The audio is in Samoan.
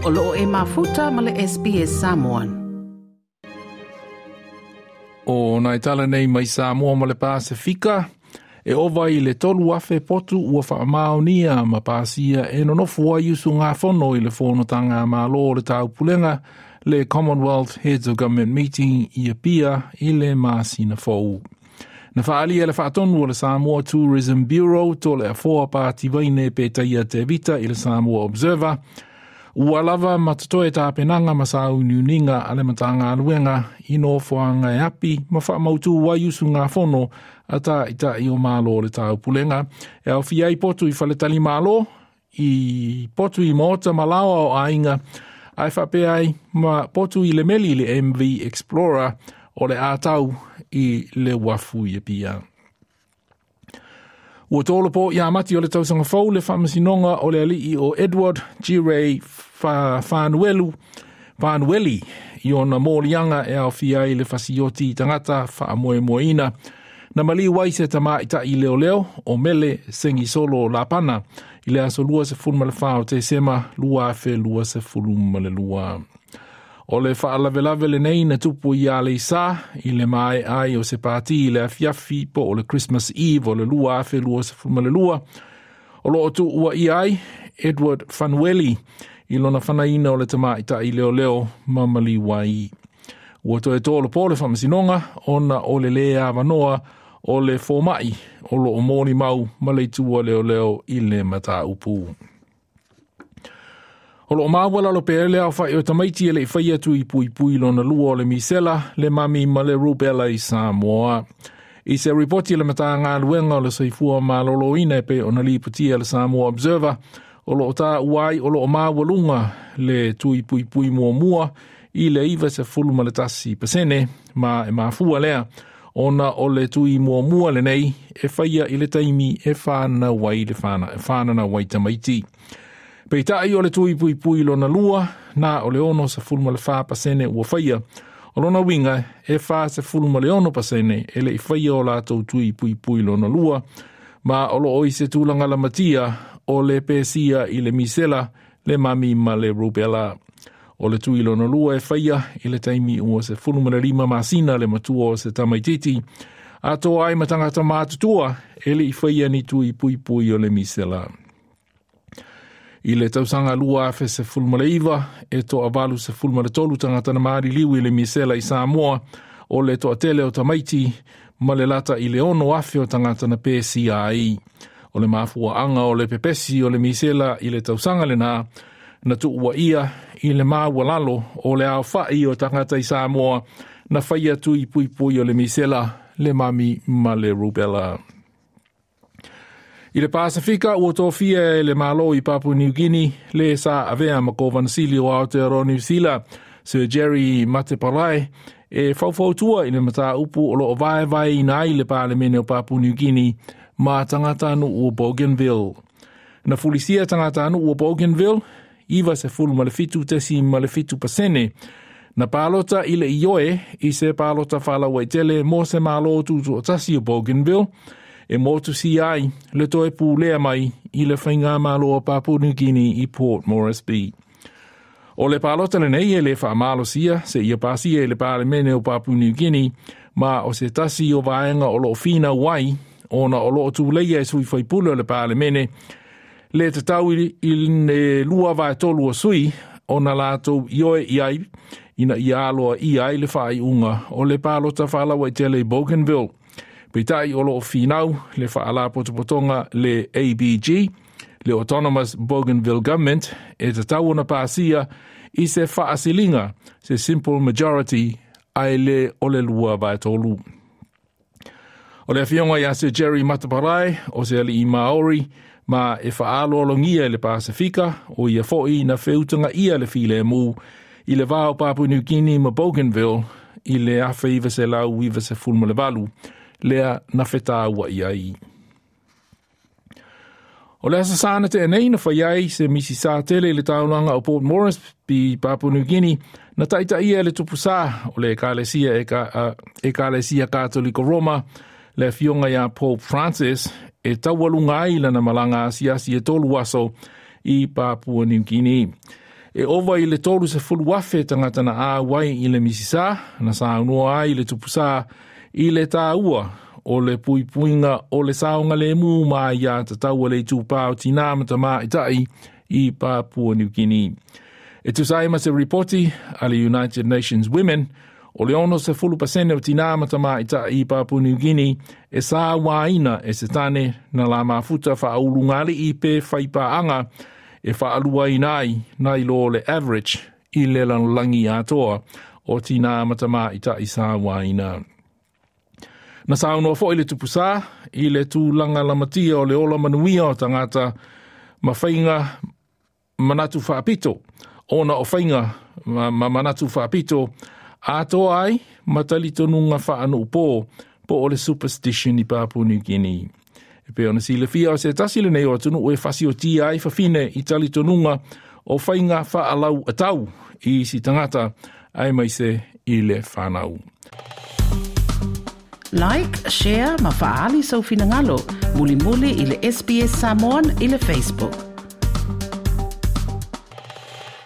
O loo e mafuta ma le SBS Samoan. O nai tala nei mai Samoa ma le Pasifika, e ova i le 3,000 potu ua whaamaonia ma pasia e nonofo ai usugafono i le fonotaga a Malo o le Taupulega le Commonwealth Heads of Government Meeting i Apia i le masina fou. Na whaalia le whaatonu o le Samoa Tourism Bureau to le afoa pāti vaine pe taia te vita i le Samoa Observer, ua lava ma totoe tāpenanga ma sauniuninga a le matagaluega i nofoaga e api ma whaamautu ai usugafono a tāita'i o Malo o le Taupulega. E aofia ai potu i whaletali malo, i potu i maota ma laoa o aiga, ae faapea ai ma potu i le meli le MV Explorer o le atau i le wafu i Apia. Ua tolopo ia mati o le tausaga fou le faamasinoga o le alii o Edward G. Fanuelu, Fanueli i ona moliaga e aofia ai le fasioti i tagata faamoemoeina. Na maliu ai se tamaita'i leoleo o Mele Sengisolo Lapana i le aso 24 o Tesema 2022. O le faalavelave lenei na tupu i Aleisa i le mae ai o se pāti i le afiafi po o le Christmas Eve o le 2022. O loo tuua i ai Edward Fanueli i lona fanaina o le tamaita'i leoleo ma maliu ai. Ua toe tolopo le faamasinoga ona o le lē avanoa o le fōma'i o loo molimau ma le itua leoleo i le mataupu. O loo maua lalo pea le aofa'i o tamaiti e le'i faia tui puipui lona lua o le misela, le mami ma le rubella i Samoa. I se ripoti le matagaluega o le soifua malōlōina e pei ona lipotia le Samoa Observer, o loo taua ai o loo maualuga le tui puipui muamua i le 91% ma e mafua lea ona o le tui muamua lenei e faia i le taimi e whānau ai le whānana wai tamaiti. Peitai o le tui puipui lona lua, na o le 64% ua faia. O lona uiga e 46% e le i faia o latou tui puipui lona lua, ma o loo i se tulaga lamatia o le pesia i le misela, le mami ma le rubella. O le tui lona lua e faia i le taimi ua 15 masina le matua o se tamaititi, atoa ai ma tagata matutua e le i faia ni tui puipui o le misela. I le tausaga 2019 e toa 83 tagata na maliliu i le misela i Samoa, o le toatele o tamaiti ma le lata i le 6,000 o tagata na pesia ai. O le mafuaanga o le pepesi o le misela i le tausaga lena na tuua ia i le maualalo o le aofa'i o tagata i Samoa na faia tui puipui o le misela, le mami ma le rubella. I le Pasifika ua tofia e le Malo i Papua New Guinea le sa avea ma Kovanasili o Aotearoa Niu Sila, Sir Jerry Mateparae, e faufautua i le mataupu o loo vaevaeina ai le Palemene o Papua New Guinea ma tagatanuu o Bougainville. Na fulisia tagatanuu o Bougainville 97.7% na palota i le ioe i se palota faalauaitele mo se Malo tutoatasi o Bougainville e motusia ai le toe pulea mai i le faigamalo o Papua New Guinea i Port Moresby. O le palota lenei e le faamalosia se ia pasia i le Palemene o Papua New Guinea ma o se tasi o vaega o loo finau ai ona o loo tuleia e sui faipule o le Palemene le tatau i le 2/3 o sui ona latou ioe i ai ina ia aloa ia ai le faaiuga o le palota faalauaitele i Bougainville. Peitai o loo finau le faalapotopotoga le ABG, le Autonomous Bougainville Government, e tatau ona pasia i se faasiliga, se simple majority, ae le o le 2/3. O le afioga ia Sir Jerry Mateparae, o se alii Maori, ma e faaloalogia i le Pasifika, o ia foi na feutagaia le filemu i le va o Papua New Guinea ma Bougainville i le 1998, lea na fetaua i ai. O le aso Sa na tea nei na fai ai se misi sa tele i le taulaga o Port Moresby, Papua New Guinea, na taitaia e le tupusā o le Ekalesia Ekalesia Katoliko Roma, le afioga ia Pope Francis, e taualuga ai lana malaga asiasi e 3 aso i Papua New Guinea. E ova i le 30,000 tagata na auai i le misisa, na saunoa ai le tupusā i le tāua o le puipuiga o le saogalemu ma aiā tatau a le itupa o tinā ma tamaitai i Papua New Guinea. E tusa ai ma se ripoti a le United Nations Women, o le 60% o tinā ma tamaitai i Papua New Guinea e sauaina e se tane na la mafuta faaulugalii pe faipaaga e faaluaina ai nai lo le average i le lalolagi atoa o tinā ma tamaitai sauaina. Na saunoa foi le tupusā i le tulaga lamatia o le ola manuia o tagata ma faiga manatu faapito, ona o faiga ma manatu faapito atoa ai ma talitonuga faanuu po o le superstition i Papua New Guinea. E pei ona silafia o se tasi lenei o atunuu e fasiotia ai fafine i talitonuga o faiga faalau atau i isi tagata aemaise i le fanau. Like, share ma faaali sou finagalo. Mulimuli i le SBS Samoan i le Facebook.